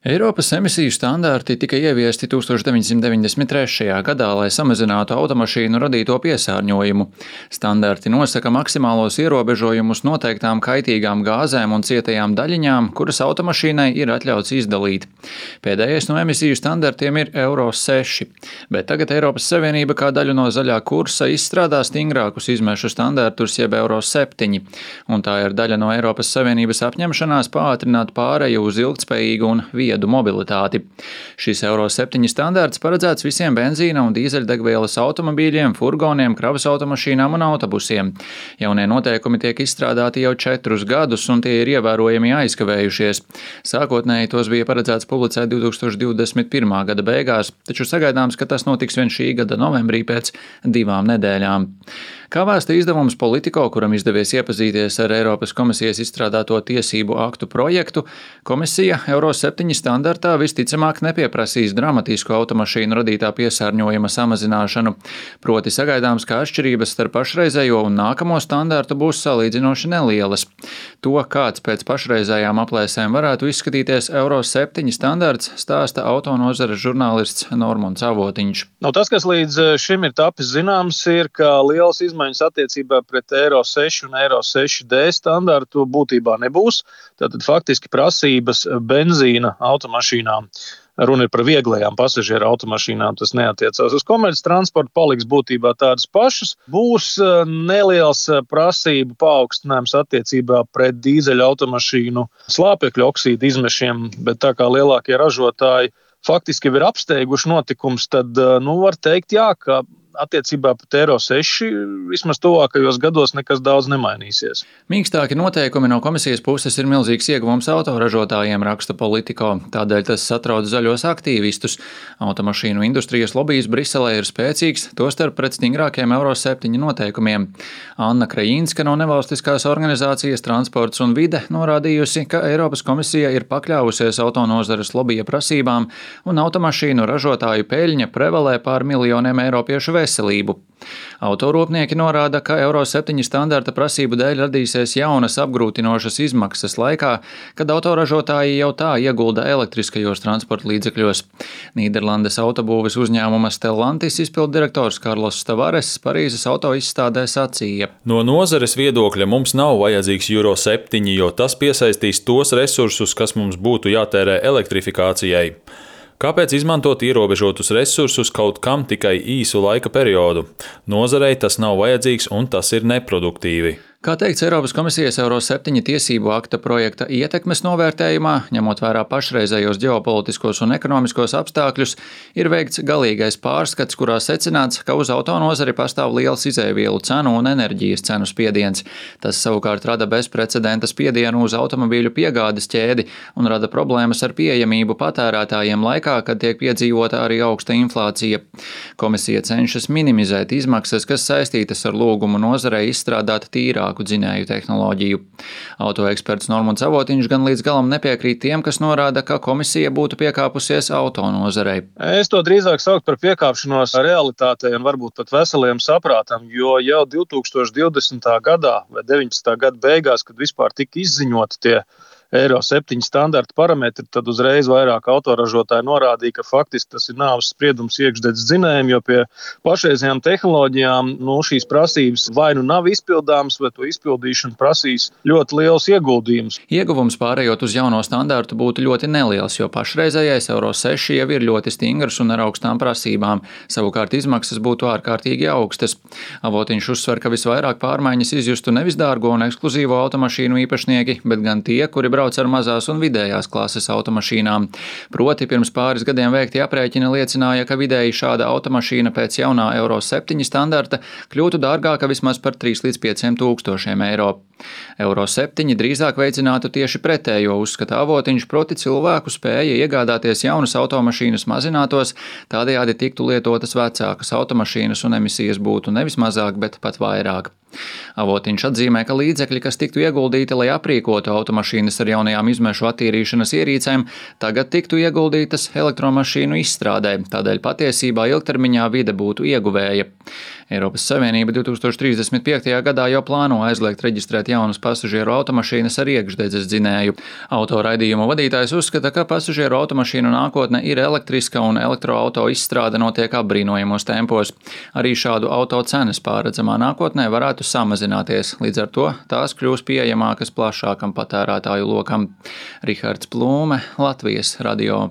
Eiropas emisiju standarti tika ieviesti 1993. gadā, lai samazinātu automašīnu radīto piesārņojumu. Standarti nosaka maksimālos ierobežojumus noteiktām kaitīgām gāzēm un cietajām daļiņām, kuras automašīnai ir atļauts izdalīt. Pēdējais no emisiju standartiem ir Euro 6, bet tagad Eiropas Savienība kā daļu no zaļā kursa izstrādā stingrākus izmešu standartus jeb Euro 7, un tā ir daļa no Eiropas Savienības apņemšanās pātrināt pāreju uz ilgtspējīgu un viedu mobilitāti. Šis Euro 7 standarts paredzēts visiem benzīna un dīzeļdegvielas automobīļiem, furgoniem, kravas automašīnām un autobusiem. Jaunie noteikumi tiek izstrādāti jau 4 gadus, un tie ir ievērojami aizkavējušies. Sākotnēji tos bija paredzēts publicēt 2021. gada beigās, taču sagaidāms, ka tas notiks vien šī gada novembrī pēc 2 nedēļām. Kā vēsta izdevums Politico, kuram izdevies iepazīties ar Eiropas komisijas izstrādāto tiesību aktu projektu, komisija Euro 7 standartā visticamāk nepieprasīs dramatisku automašīnu radītā piesārņojuma samazināšanu. Proti sagaidāms, ka atšķirības starp pašreizējo un nākamo standartu būs salīdzinoši nelielas. To, kāds pēc pašreizējām aplēsēm varētu izskatīties Euro 7 standarts, stāsta autonozares žurnālists Normons Avotiņš. Tas, kas līdz šim ir tapis zināms, ir, ka lielas izmaiņas attiecībā pret Euro 6 un Euro 6D standartu būtībā nebūs. Tātad faktiski prasības benzīna automašīnām. Runa ir par vieglajām pasažieru automašīnām, tas neatiecās uz komerces transportu, paliks būtībā tādas pašas. Būs neliels prasību paaugstinājums attiecībā pret dīzeļa automašīnu slāpekļa oksīdu izmešiem, bet tā kā lielākie ražotāji faktiski ir apsteiguši notikums, tad var teikt, jā, ka attiecībā pret Euro 6 vismaz tuvākajos gados nekas daudz nemainīsies. Mīkstāki noteikumi no komisijas puses ir milzīgs ieguvums autoražotājiem, raksta Politico. Tādēļ tas satrauc zaļos aktīvistus. Automašīnu industrijas lobijs Briselē ir spēcīgs, tostarp pret stingrākiem Euro 7 noteikumiem. Anna Krajinska no nevalstiskās organizācijas Transports un vide norādījusi, ka Eiropas komisija ir pakļāvusies autonozares lobija prasībām un automašīnu ražotāju peļņa prevalē pār miljoniem eiropiešu veselību. Autorūpnieki norāda, ka Euro 7 standarta prasību dēļ radīsies jaunas apgrūtinošas izmaksas laikā, kad autoražotāji jau tā iegulda elektriskajos transporta līdzekļos. Nīderlandes autobūves uzņēmuma Stellantis izpilddirektors Karlos Tavares Parīzes autoizstādē sacīja: No nozares viedokļa mums nav vajadzīgs Euro 7, jo tas piesaistīs tos resursus, kas mums būtu jātērē elektrifikācijai. Kāpēc izmantot ierobežotus resursus kaut kam tikai īsu laika periodu? Nozarei tas nav vajadzīgs un tas ir neproduktīvi. Kā teikts Eiropas komisijas Euro 7 tiesību akta projekta ietekmes novērtējumā, ņemot vērā pašreizējos ģeopolitiskos un ekonomiskos apstākļus, ir veikts galīgais pārskats, kurā secināts, ka uz autonozari pastāv liels izēvielu cenu un enerģijas cenu spiediens. Tas savukārt rada bezprecedenta spiedienu uz automobīļu piegādes ķēdi un rada problēmas ar pieejamību patērētājiem laikā, kad tiek piedzīvota arī augsta inflācija. Komisija cenšas minimizēt izmaksas, kas saistītas ar lūgumu nozarei izstrādāt tīrāk dzinēju tehnoloģiju. Autoeksperts Normons Avotiņš gan līdz galam nepiekrīt tiem, kas norāda, ka komisija būtu piekāpusies autonozarei. Es to drīzāk sauktu par piekāpšanos realitātei un varbūt pat veseliem saprātam, jo jau 2020. gadā vai 19. gada beigās, kad vispār tika izziņoti tie Euro 7 standarta parametri, tad uzreiz vairāk autoražotāji norādīja, ka faktiski tas ir nāves spriedums iekšdedz dzinējiem, jo pie pašreizējām tehnoloģijām šīs prasības vai nu nav izpildāmas, vai to izpildīšana prasīs ļoti liels ieguldījums. Ieguvums pārējot uz jauno standartu būtu ļoti neliels, jo pašreizējais Euro 6 jau ir ļoti stingrs un ar augstām prasībām. Savukārt izmaksas būtu ārkārtīgi augstas. Avotiņš uzsver, ka visvairāk pārmaiņas izjustu nevis dārgo un ekskluzīvo automašīnu īpašnieki, bet gan tie, kuri brauc ar mazās un vidējās klases automašīnām. Proti, pirms pāris gadiem veikti aprēķini liecināja, ka vidēji šāda automašīna pēc jaunā Euro 7 standarta kļūtu dārgāka vismaz par 3 līdz 5 tūkstošiem eiro. Euro 7 drīzāk veicinātu tieši pretējo, uzskata Avotiņš, proti cilvēku spēja iegādāties jaunas automašīnas mazinātos, tādējādi tiktu lietotas vecākas automašīnas un emisijas būtu nevis mazāk, bet pat vairāk. Avotiņš atzīmē, ka līdzekļi, kas tiktu ieguldīti, lai aprīkotu automašīnas ar ar jaunajām izmešu attīrīšanas ierīcēm tagad tiktu ieguldītas elektromašīnu izstrādē, tādēļ patiesībā ilgtermiņā vide būtu ieguvēja. Eiropas Savienība 2035. gadā jau plāno aizliegt reģistrēt jaunas pasažieru automašīnas ar iekšdedzes dzinēju. Autoraidījuma vadītājs uzskata, ka pasažieru automašīnu nākotne ir elektriska un elektroauto izstrāde notiek apbrīnojamos tempos. Arī šādu auto cenas pārredzamā nākotnē varētu samazināties, līdz ar to tās kļūs pieejamākas plašākam patērētāju lokam. Rihards Plūme, Latvijas radio.